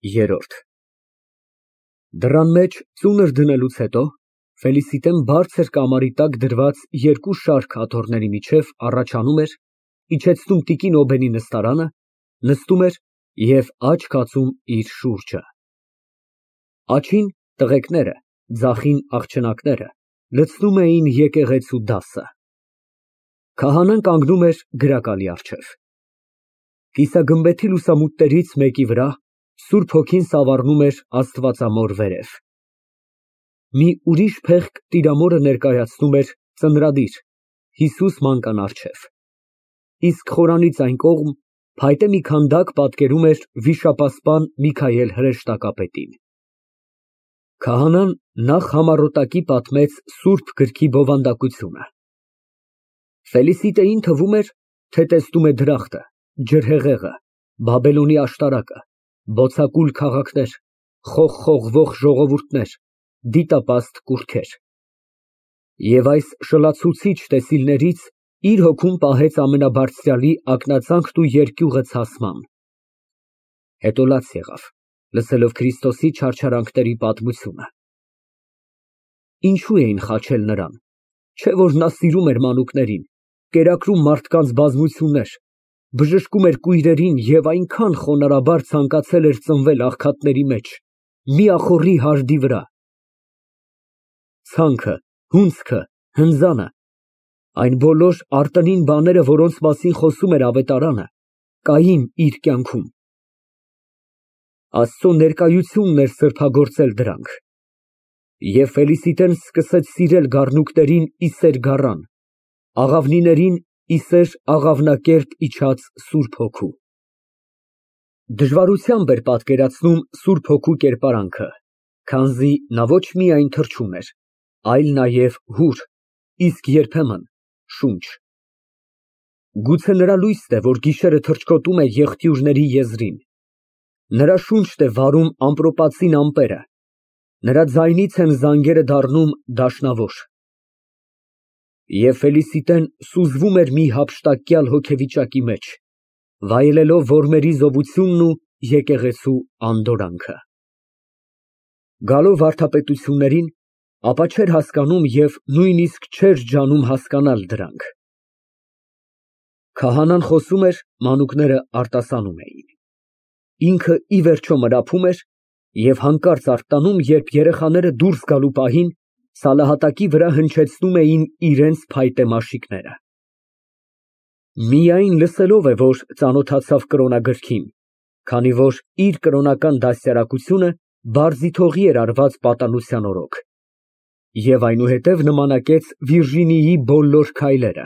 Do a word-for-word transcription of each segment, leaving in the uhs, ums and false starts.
Երրորդ Դռան մեջ ծունր դնելուց հետո Ֆելիսիտեն բարձր կամարի տակ դրված երկու շարք աթոռների միջև առաջանում էր, իջեցնում տիկին Օբենի նստարանը, նստում էր և աջ կացում իր շուրջը։ Աջին տղեկները, ձախին աղջնակները լցնում էին եկեղեցու դասը։ Քահանան կանգնում էր գրակալի առջև։ Կիսագմբեթի լուսամուտներից մեկի վրա Սուրբ Հոգին սավառնում էր Աստվածամոր վերև։ Մի ուրիշ փեղկ Տիրամորը ներկայացնում էր ծնրադիր Հիսուս մանկան առջև, իսկ խորանից այն կողմ փայտե մի քանդակ պատկերում էր վիշապասպան Միքայել հրեշտակապետին։ Քահանան նախ համառոտակի պատմեց Սուրբ գրքի բովանդակությունը։ Ֆելիսիտեին թվում էր, թե տեսնում է դրախտը, ջրհեղեղը, Բաբելոնի աշտարակը, բոցակուլ քաղաքներ, խողխողվող ժողովուրդներ, դիտապաստ կուռքեր։ Եվ այս շլացուցիչ տեսիլներից իր հոգում պահեց Ամենաբարձրյալի ակնածանքն ու երկյուղը ցասման։ Հետո լաց եղավ, լսելով Քրիստոսի չարչարանքների պատմությունը։ Ինչո՞ւ էին խաչել նրան, չէ՞ որ նա սիրում էր մանուկներին, կերակրում մարդկանց բազմություններ, բժշկում էր կույրերին և այնքան խոնարհաբար ցանկացել էր ծնվել աղքատների մեջ, միախոռի հարդի վրա։ Ցանքը, հունձքը, հնձանը, այն բոլոր արտընին բաները, որոնց մասին խոսում էր ավետարանը, կային իր կյանքում։ Աստծո ներկայությունն էր սրբագործել դրանք։ Եվ Ֆելիսիտեն սկսեց սիրել գառնուկներին ի սեր գառան, աղավնիներին ի սեր աղավնակերպ իջած Սուրբ Հոգու։ Դժվարությամբ էր պատկերացնում Սուրբ Հոգու կերպարանքը, քանզի նա ոչ միայն թռչուն էր, այլ նաև հուր, իսկ երբեմն շունչ։ Գուցե նրա լույսն է, որ գիշերը թռչկոտում է եղտյուրների եզրին, նրա շունչն է վարում ամպրոպածին ամպերը, նրա ձայնից են զանգերը դառնում դաշնավոր։ Եվ Ֆելիսիտեն սուզվում էր մի հափշտակյալ հոգեվիճակի մեջ, վայելելով որմերի զովությունն ու եկեղեցու անդորրանքը։ Գալով վարդապետություններին, ապա չէր հասկանում և նույնիսկ չէր ջանում հասկանալ դրանք։ Քահանան խոսում էր, մանուկները արտասանում էին։ Ինքը ի վերջո մրափում էր և հանկարծ արթնանում, երբ երեխաները դուրս գալու պահին սալահատակի վրա հնչեցնում էին իրենց փայտե մաշիկները։ Միայն լսելով է, որ ծանոթացավ կրոնագրքին, քանի որ իր կրոնական դաստիարակությունը Բարզիթողի էր արված պատանության օրոք, և այնուհետև նմանակեց Վիրջինիայի բոլոր քայլերը,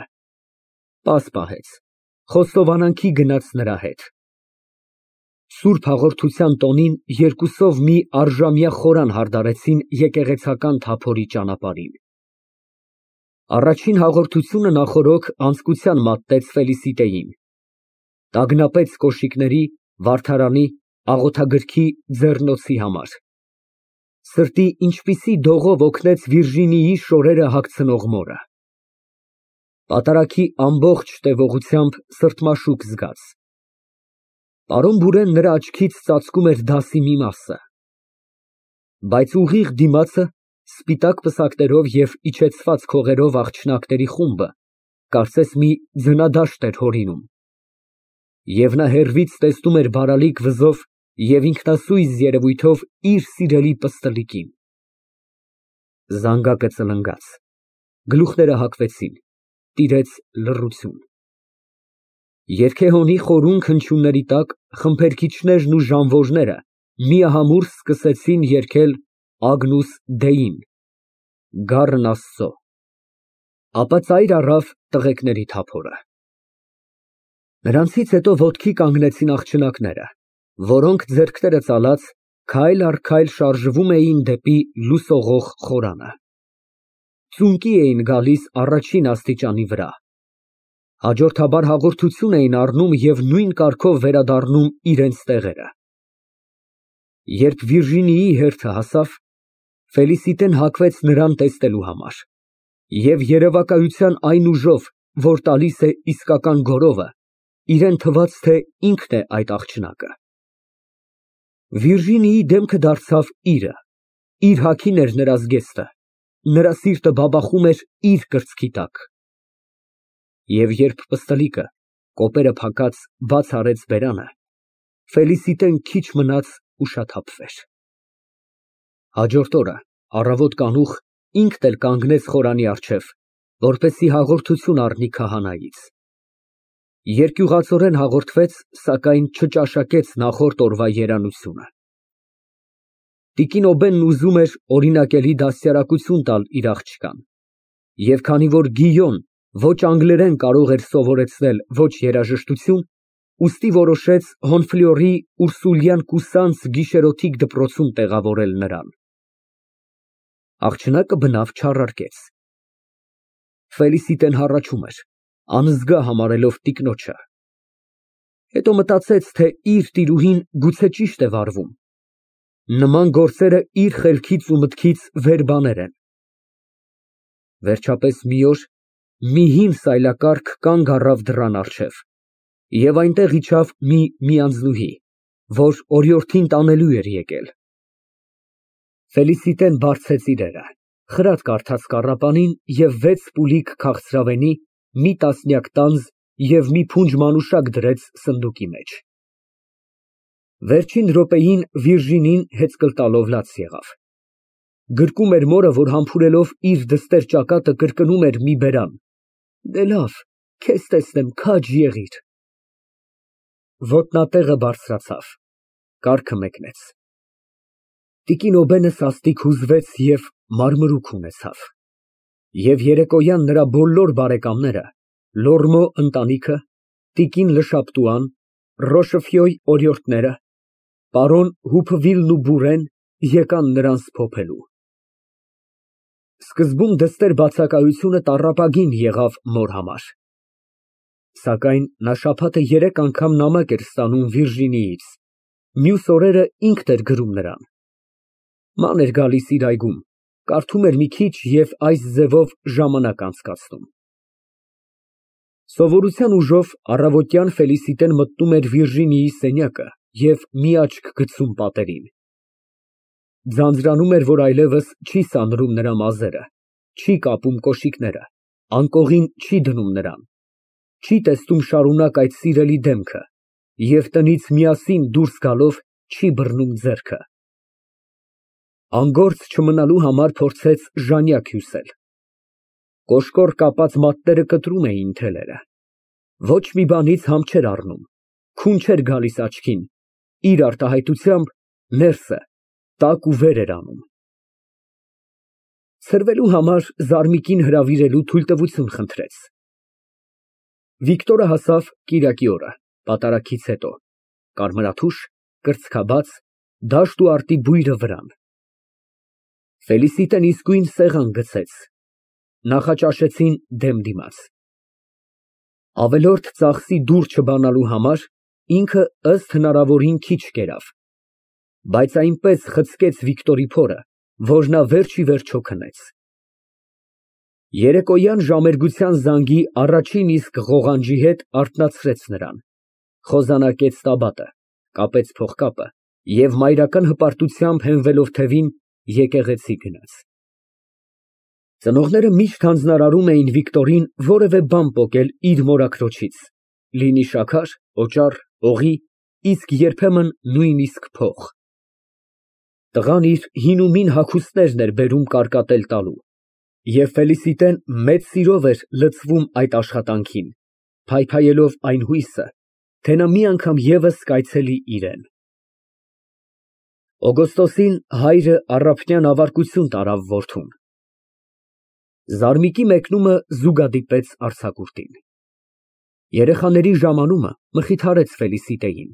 պաս պահեց, խոստովանանքի գնաց նրա հետ։ Սուրբ հաղորդության տոնին երկուսով մի առժամյա խորան հարդարեցին եկեղեցական թափորի ճանապարհին։ Առաջին հաղորդությունը նախօրոք անձկության մատնեց Ֆելիսիտեին, տագնապեց կոշիկների, վարդարանի, աղոթագրքի, ձեռնոցի համար։ Սրտի ինչպիսի դողով օգնեց Վիրջինիայի շորերը հագցնող մորը։ Պատարագի ամբողջ տևողությամբ սրտմաշուկ զգաց։ Պարոն նրա աչքից ծածկում էր դասի մի մասը։ Բայց ուղիղ դիմացը, սպիտակ պսակներով և իջեցված քողերով աղջնակների խումբը, կարծես մի ձնադաշտ էր հորինում։ Եվ նա հեռվից տեսնում էր բարալիկ վզով և ինքնասույզ երևույթով իր սիրելի պստլիկին։ Զանգակը ծլնգաց, գլուխները հագվեցին, տիրեց լռություն։ Երգեհոնի խորուն հնչյունների տակ խմբերքիչներն ու ժանվորները միահամուռ սկսեցին երգել Ագնուս Դեին, գառն Աստծո, ապա ծայր առավ տղեկների թափորը։ Նրանցից հետո ոտքի կանգնեցին աղջնակները, որոնք ձեռքները ծալած քայլ առ քայլ շարժվում էին դեպի լուսողող խորանը։ Ծունկի էին գալիս առաջին աստիճանի վրա, հաջորդաբար հաղորդություն էին առնում և նույն կարգով վերադառնում իրենց տեղերը։ Երբ Վիրջինիայի հերթը հասավ, Ֆելիսիտեն հագվեց նրան տեսնելու համար և երևակայության այն ուժով, որ տալիս է իսկական գորովը, իրան թվաց, թե ինքն է այդ աղջնակը։ Վիրժինիի դեմքը դարձավ իրը, իր հագին էր նրա զգեստը, նրա սիրտը բաբախում էր իր կրծքի տակ։ Եվ երբ պստլիկը, կոպերը փակած, բաց արեց բերանը, Ֆելիսիտեն քիչ մնաց ուշաթափվեր։ Հաջորդ օրը առավոտ կանուխ ինքն էլ կանգնեց խորանի առջև, որպեսզի հաղորդություն առնի քահանայից։ Երկյուղածորեն հաղորդվեց, սակայն չճաշակեց նախորդ օրվա երանությունը։ Տիկին Օբենն ուզում էր օրինակելի դաստիարակություն տալ իր աղջկան, և քանի որ Գիյոն ոչ անգլերեն կարող էր սովորեցնել, ոչ երաժշտություն, ուստի որոշեց Հոնֆլյորի ուրսուլյան կուսանց գիշերօթիկ դպրոցում տեղավորել նրան։ Աղջնակը բնավ չառարկեց։ Ֆելիսիտեն հառաչում էր, անզգա համարելով տիկնոջը։ Հետո մտածեց, թե իր տիրուհին գուցե ճիշտ է վարվում։ Նման գործերը իր խելքից ու մտքից վեր բաներ են։ Վերջապես մի օր մի հին սայլակառք կանգ առավ դռան առջև, և այնտեղ իջավ մի միանձնուհի, որ օրիորդին տանելու էր եկել։ Ֆելիսիտեն բարձեց իրերը, խրատ կարդաց կառապանին և վեց պուլիկ քաղցրավենի, մի տասնյակ տանձ և մի փունջ մանուշակ դրեց սնդուկի մեջ։ Վերջին րոպեին Վիրժինին հեծկլ տալով լաց եղավ։ Գրկում էր մորը, որ համբուրելով իր դստեր ճակատը կրկնում էր մի բերան. «Դե լավ, քեզ տեսնեմ, քաջ եղիր»։ Ոտնատեղը բարձրացավ, կառքը մեկնեց։ Տիկին Օբենը սաստիկ հուզվեց և մարմրուք ունեցավ։ Եվ երեկոյան նրա բոլոր բարեկամները, Լորմո ընտանիքը, տիկին Լշապտուան, Ռոշֆյոյ օրիորդները, պարոն Հուփվիլն ու Բուրեն եկան նրան սփոփելու։ Սկզբում դստեր բացակայությունը տառապագին եղավ մոր համար։ Սակայն նա շաբաթը երեք անգամ նամակ էր ստանում Վիրժինիից, մյուս օրերը ինքն էր գրում նրան։ Ման էր գալիս իր այգում, կարդում էր մի քիչ և այս ձևով ժամանակ անցկացնում։ Սովորության ուժով առավոտյան Ֆելիսիտեն մտնում էր Վիրժինիի սենյակը և մի աչք գցում պատերին։ Ձանձրանում էր, որ այլևս չի սանրում նրա մազերը, չի կապում կոշիկները, անկողին չի դնում նրան, չի տեսնում շարունակ այդ սիրելի դեմքը և տնից միասին դուրս գալով չի բռնում ձեռքը։ Անգործ չմնալու համար փորձեց ժանյակ հյուսել։ Կոշկոր կապած մատները կտրում էին թելերը։ Ոչ մի բանից համ չէր առնում, քուն չէր գալիս աչքին, իր արտահայտությամբ ներսը տաք ու վեր էր անում։ Ցրվելու համար Զարմիկին հրավիրելու թույլտվություն խնդրեց։ Վիկտորը հասավ կիրակի օրը, պատարագից հետո, կարմրաթուշ, կրծքաբաց, դաշտ ու արտի բույրը վրան։ Ֆելիսիտեն իսկույն սեղան գցեց, նախաճաշեցին դեմ դիմաց։ Ավելորդ ծախսի դուռ չբանալու համար ինքը ըստ հնարավորին քիչ կերավ, բայց այնպես խցկեց Վիկտորի փորը, որ նա վերջ ի վերջո քնեց։ Երեկոյան ժամերգության զանգի առաջին իսկ ղողանջի հետ արթնացրեց նրան, խոզանակեց տաբատը, կապեց փողկապը և մայրական հպարտությամբ հենվելով թևին, եկեղեցի գնաց։ Ծնողները միշտ հանձնարարում էին Վիկտորին որևէ բան պոկել իր մորաքրոջից, լինի շաքար, օճառ, օղի, իսկ երբեմն նույնիսկ փող։ Տղան իր հին հագուստներն էր բերում կարկատել տալու, և Ֆելիսիտեն մեծ սիրով էր լցվում այդ աշխատանքին, փայփայելով այն հույսը, թե նա մի անգամ ևս կայցելի իրեն։ Օգոստոսին հայրը առափնյան ավարկություն տարավ որդուն։ Զարմիկի մեկնումը զուգադիպեց արձակուրդին։ Երեխաների ժամանումը մխիթարեց Ֆելիսիտեին։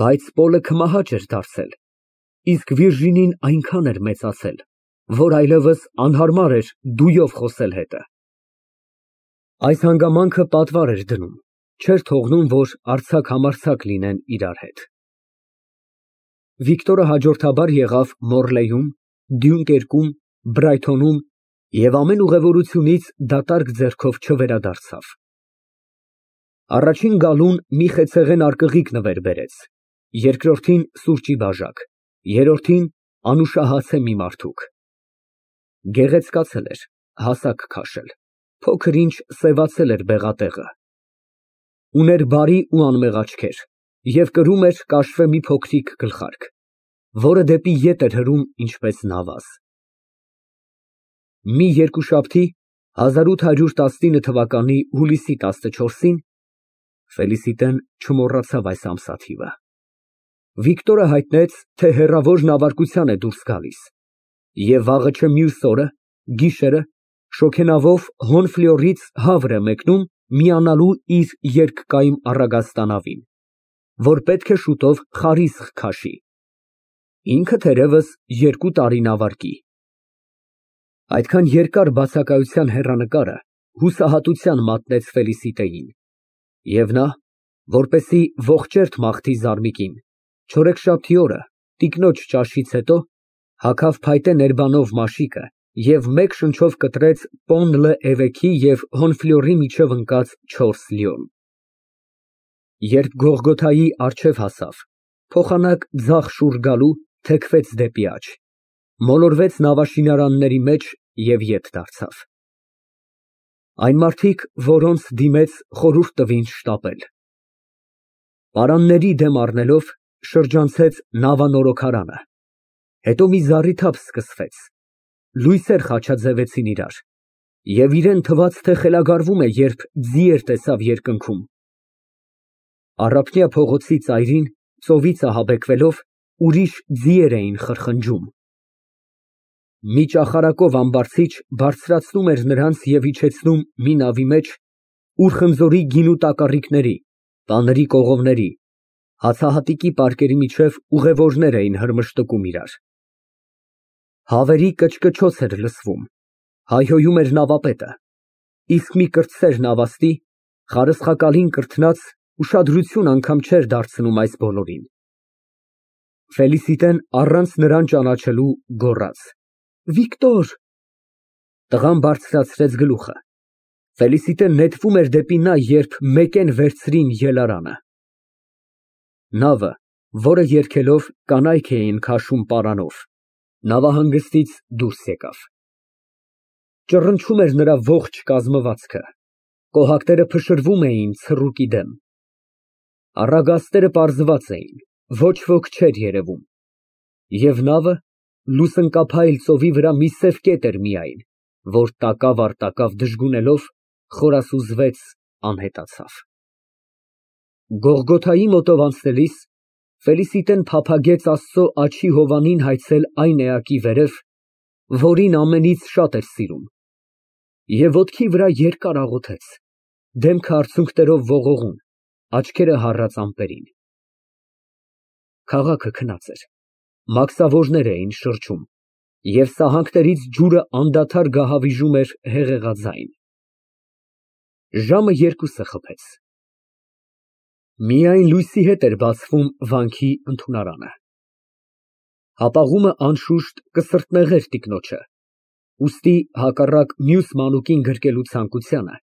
Բայց Պոլը քմահաճ էր դարձել, իսկ Վիրժինին այնքան էր մեծացել, որ այլևս անհարմար էր դույով խոսել հետը։ Այս հանգամանքը պատվար էր դնում, չէր թողնում, որ արձակ֊համարձակ լինեն իրար հետ։ Վիկտորը հաջորդաբար եղավ Մորլեյում, Դյունկերկում, Բրայթոնում և ամեն ուղևորությունից դատարկ ձեռքով չվերադարձավ։ Առաջին գալուն մի խեցեղեն արկղիկ նվեր բերեց երկրորդին սուրճի բաժակ, երրորդին անուշահաց է մի մարդուկ։ Գեղեցկացել էր, հասակ քաշել, փոքր ինչ սևացել էր բեղատեղը։ Ուներ բարի ու անմեղ աչքեր և կրում էր կաշվե մի փոքրիկ գլխարկ, որը դեպի ետ էր հրում ինչպես նավազ։ Մի երկուշաբթի հազար ութ հարյուր տասնինը թվականի հուլիսի տասնչորսին Ֆելիսիտեն չմոռացավ այս ամսաթիվը։ Վիկտորը հայտնեց, թե հեռավոր նավարկության է դուրս գալիս և վաղը չէ մյուս օրը, գիշերը, շոգենավով Հոնֆլյորից հավր է մեկնում միանալու իր երկկայմ առագաստանավին, որ պետք է շուտով Խարիսխ քաշի, ինքը թերևս երկու տարի նավարկի։ Այդքան երկար բացակայության հեռանկարը հուսահատության մատնեց Ֆելիսիտեին, և նա, որպեսզի ողջերթ մաղթի զարմիկին, չորեքշաբթի օրը տիկնոջ ճաշից հետո հագավ փայտե ներբանով մաշիկը և մեկ շնչով կտրեց Պոն լը Էվեքի և Հոնֆլյորի միջև ընկած չորս լյոն։ Երբ Գողգոթայի առջև հասավ, փոխանակ ձախ շուռ գալու, թեքվեց դեպի աջ, մոլորվեց նավաշինարանների մեջ և ետ դարձավ։ Այն մարդիկ, որոնց դիմեց, խորհուրդ տվին շտապել։ Պարանների դեմ առնելով, շրջանցեց նավանորոգարանը, հետո մի զառիթափ սկսվեց, լույսեր խաչաձևեցին իրար, և իրան թվաց, թե խելագարվում է, երբ ձիեր տեսավ երկնքում։ Առափնյա փողոցի ծայրին, ծովից ահաբեկվելով, ուրիշ ձիեր էին խրխնջում։ Մի ճախարակով ամբարձիչ բարձրացնում էր նրանց և իջեցնում մի նավի մեջ, ուր խնձորի գինու տակառիկների, տաների կողովների, հացահատիկի պարկերի միջև ուղևորներ էին հրմշտկում իրար։ Հավերի կչկչոց էր լսվում, հայհոյում էր նավապետը, իսկ մի կրտսեր նավաստի, խարսխակալին կրթնած, ուշադրություն անգամ չէր դարձնում այս բոլորին։ Ֆելիսիտեն առանց նրան ճանաչելու գոռաց. Վիկտոր։ Տղան բարձրացրեց գլուխը։ Ֆելիսիտեն նետվում էր դեպի նա, երբ մեկեն վերցրին ելարանը։ Նավը, որը երգելով կանայք էին քաշում պարանով, նավահանգստից դուրս եկավ։ Ճռնչում էր նրա ողջ կազմվածքը, կոհակները փշրվում էին ցռուկի դեմ։ Առագաստերը պարզված էին, ոչ ոք չէր երևում, և նավը լուսնկափայլ ծովի վրա մի սև կետ էր միայն, որ տակավ առ տակավ դժգունելով, խորասուզվեց, անհետացավ։ Գողգոթայի մոտով անցնելիս Ֆելիսիտեն փափագեց Աստծո աջի հովանին հայցել այն էակի վերև, որին ամենից շատ էր սիրում, և ոտքի վրա երկար աղոթեց, դեմքը արցունքներով ողողուն, աչքերը հառած ամպերին։ Քաղաքը քնած էր, մաքսավորներ էին շրջում, և սահանքներից ջուրը անդադար գահավիժում էր հեղեղաձայն։ Ժամը երկուսը խփեց։ Միայն լույսի հետ էր բացվում վանքի ընդունարանը։ Հապաղումը անշուշտ կսրտնեղեր տիկնոջը, ուստի հակառակ մյուս մանուկին գրկելու ցանկությանը,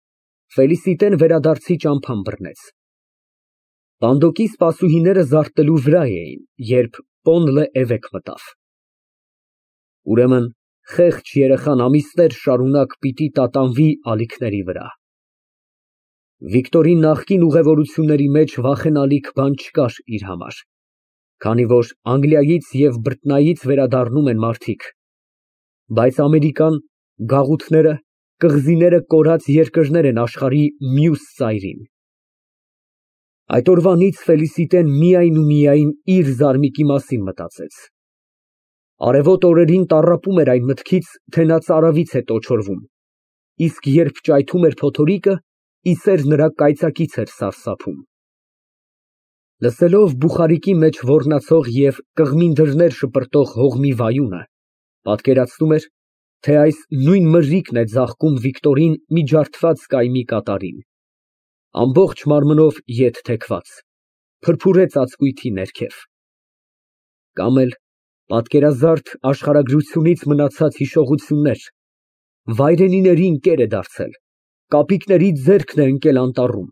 Ֆելիսիտեն վերադարձի ճամփան բռնեց։ Պանդոկի սպասուհիները զարթնելու վրա էին, երբ Պոն լը Էվեք մտավ։ Ուրեմն խեղճ երեխան ամիսներ շարունակ պիտի տատանվի ալիքների վրա։ Վիկտորի նախկին ուղևորությունների մեջ վախենալիք բան չկար իր համար, քանի որ Անգլիայից և Բրիտանիայից վերադառնում են մարդիկ, բայց Ամերիկան, գաղութները, կղզիները կորած երկրներ են աշխարհի մյուս ծայրին։ Այդ օրվանից Ֆելիսիտեն միայն ու միայն իր զարմիկի մասին մտածեց։ Արևոտ օրերին տառապում էր այն մտքից, թե նա ծարավից է տոչորվում, իսկ երբ ճայթում էր փոթորիկը, իսեր նրա կայծակից էր սարսափում։ Լսելով բուխարիկի մեջ ոռնացող և կղմին դռներ շպրտող հողմի վայունը, պատկերացնում էր, թե այս նույն մրրիկն է ձաղկում Վիկտորին մի ջարդված կայմի կատարին, ամբողջ մարմնով ետ թեքված, փրփուրե ծածկույթի ներքև։ Կամ էլ պատկերազարդ աշխարհագրությունից մնացած հիշողություններ, վայրենիների ընկեր է դարձել, կապիկների ձեռքն է ընկել անտառում,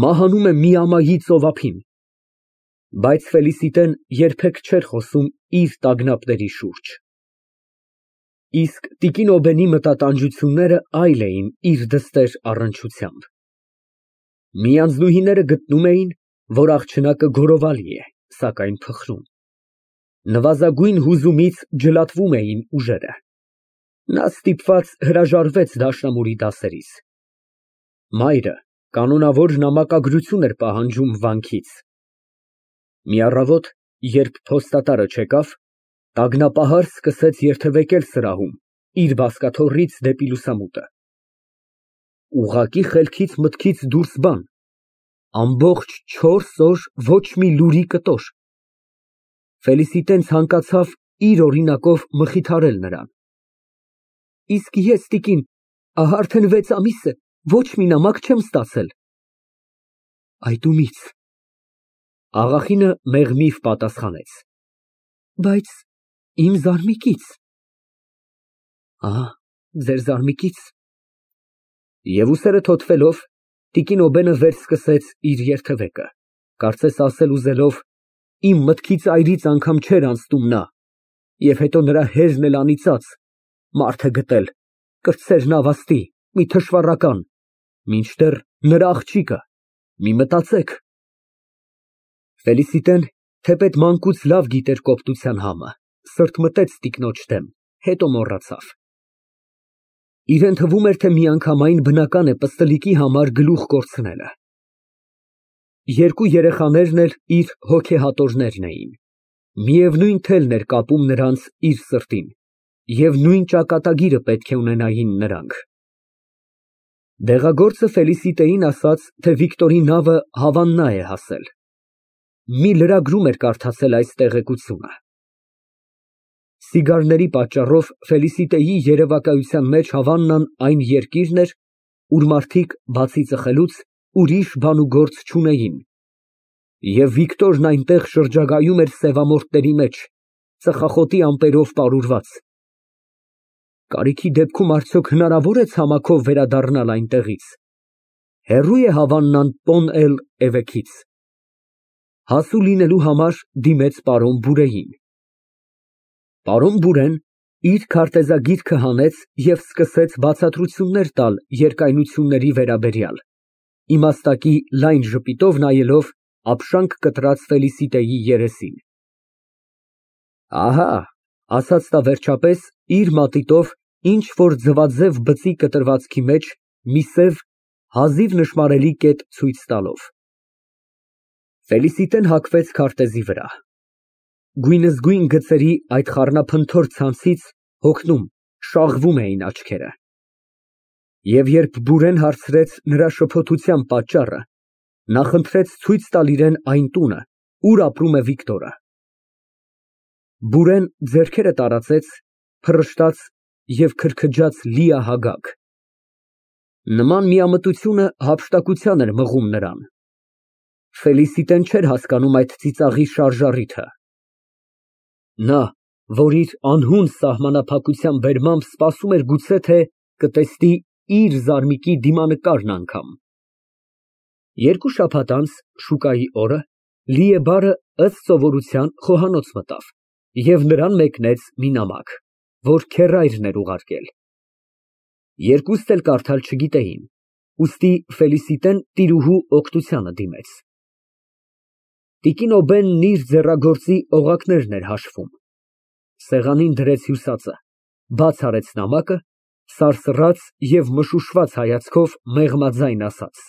մահանում է մի ամայի ծովափին, Բայց Ֆելիսիտեն երբեք չէր խոսում իր տագնապների շուրջ։ Իսկ տիկին Օբենի մտատանջությունները այլ էին իր դստեր առնչությամբ։ Մի անձնուհիները գտնում էին, որ աղջնակը գորովալի է, սակայն փխրուն։ Նվազագույն հուզումից ջլատվում էին ուժերը։ Նա ստիպված հրաժարվեց դաշնամուրի դասերից։ Մայրը կանոնավոր նամակագրություն էր պահանջում վանքից։ Մի առավոտ, երբ փոստատարը չեկավ, տագնապահար սկսեց երթևեկել սրահում, իր բազկաթոռից դեպի լուսամուտը։ Ուղղակի խելքից մտքից դուրս բան, ամբողջ չորս օր ոչ մի լուրի կտոր։ Ֆելիսիտեն ցանկացավ իր օրինակով մխիթարել նրան։ Իսկ ես, տիկին, ահա արդեն վեց ամիս է, ոչ մի նամակ չեմ ստացել։ Այդ ումի՞ց։ Աղախինը մեղմիվ պատասխանեց. Բայց իմ զարմիկից։ Ահա, ձեր զարմիկից։ Եվ ուսերը թոթվելով, տիկին Օբենը վերսկսեց իր երթևեկը, կարծես ասել ուզելով. իմ մտքից այրից անգամ չէր անցնում նա, և հետո նրա հերն էլ անիծած, մարդ է գտել, կրտսեր նավաստի, մի թշվառական, մինչդեռ նրա աղջիկը, մի մտածեք։ Ֆելիսիտեն, թեպետ մանկուց լավ գիտեր կոպտության համը, սրտմտեց տիկնոջ դեմ, հետո մոռացավ։ Իրեն թվում էր, թե միանգամայն բնական է պստլիկի համար գլուխ կորցնելը։ Երկու երեխաներն էլ իր հոգեհատորներն էին, միևնույն թելն էր կապում նրանց իր սրտին, և նույն ճակատագիրը պետք է ունենային նրանք։ Դեղագործը Ֆելիսիտեին ասաց, թե Վիկտորի նավը Հավաննա է հասել։ Մի լրագրում էր կարդացել այս տեղեկությունը։ Սիգարների պատճառով Ֆելիսիտեի երևակայության մեջ Հավաննան այն երկիրն էր, ուր մարդիկ, բացի ծխելուց, ուրիշ բան ու գործ չունեին, և Վիկտորն այնտեղ շրջագայում էր սևամորթների մեջ, ծխախոտի ամպերով պարուրված։ Կարիքի դեպքում արդյոք հնարավոր է ցամաքով վերադառնալ այնտեղից։ Հեռո՞ւ է Հավաննան Պոն էլ֊Էվեքից։ Հասու լինելու համար դիմեց պարոն Բուրեին։ Պարոն Բուրեն իր քարտեզագիրքը հանեց և սկսեց բացատրություններ տալ երկայնությունների վերաբերյալ, իմաստակի լայն ժպիտով նայելով ապշանք կտրած Ֆելիսիտեի երեսին։ Ահա, ասաց նա վերջապես, իր մատիտով ինչ֊որ ձվաձև բծի կտրվածքի մեջ մի սև, հազիվ նշմարելի կետ ցույց տալով։ Ֆելիսիտեն հագվեց քարտեզի վրա։ Գույնզգույն գծերի այդ խառնափնթոր ցանցից հոգնում, շաղվում էին աչքերը։ Եվ երբ Բուրեն հարցրեց նրա շփոթության պատճառը, նա խնդրեց ցույց տալ իրան այն տունը, ուր ապրում է Վիկտորը։ Բուրեն ձեռքերը տարածեց, փռշտաց և քրքջաց լիահագակ։ Նման միամտությունը հափշտակության էր մղում նրան։ Ֆելիսիտեն չէր հասկանում այդ ծիծաղի շարժառիթը։ Նա, որ իր անհուն սահմանափակության բերմամբ սպասում էր գուցե թե կտեսնի իր զարմիկի դիմանկարն անգամ։ Երկու շաբաթ անց, շուկայի օրը, Լիեբարը ըստ սովորության խոհանոց մտավ և նրան մեկնեց մի նամակ, որ քեռայրն էր ուղարկել։ Երկուստ էլ կարդալ չգիտեին, ուստի Ֆելիսիտեն տիրուհու օգնությանը դիմեց։ Տիկին Օբենն իր ձեռագործի օղակներն էր հաշվում։ Սեղանին դրեց հյուսածը, բաց արեց նամակը, սարսռաց և մշուշված հայացքով մեղմաձայն ասաց.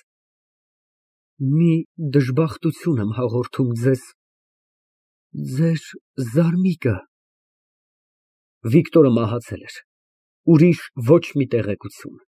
Մի դժբախտություն եմ հաղորդում ձեզ, ձեր զարմիկը… Վիկտորը մահացել էր, ուրիշ ոչ մի տեղեկություն։